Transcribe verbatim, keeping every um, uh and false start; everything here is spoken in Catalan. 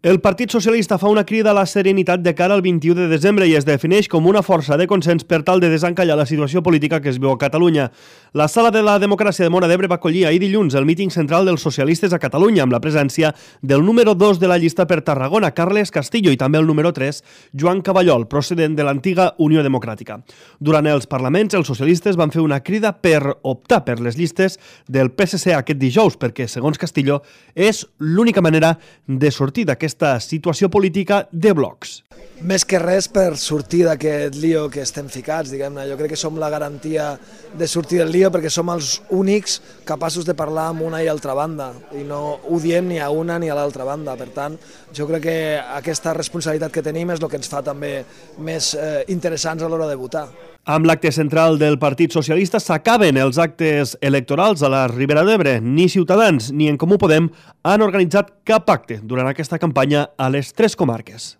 El Partit Socialista fa una crida a la serenitat de cara al vint-i-u de desembre i es defineix com una força de consens per tal de desencallar la situació política que es viu a Catalunya. La Sala de la Democràcia de Móra d'Ebre va acollir ahir dilluns el míting central dels socialistes a Catalunya amb la presència del número dos de la llista per Tarragona, Carles Castillo, i també el número tres, Joan Caballol, procedent de l'antiga Unió Democràtica. Durant els parlaments, els socialistes van fer una crida per optar per les llistes del P S C aquest dijous, perquè, segons Castillo, és l'única manera de sortir d'aquesta aquesta situació política de blocs. Més que res per sortir d'aquest lío que estem ficats, diguem-ne. Jo crec que som la garantia de sortir del lío perquè som els únics capaços de parlar amb una i altra banda i no ho diem ni a una ni a l'altra banda. Per tant, jo crec que aquesta responsabilitat que tenim és el que ens fa també més eh, interessants a l'hora de votar. Amb l'acte central del Partit Socialista s'acaben els actes electorals a la Ribera d'Ebre. Ni Ciutadans ni En Comú Podem han organitzat cap acte durant aquesta campanya a les tres comarques.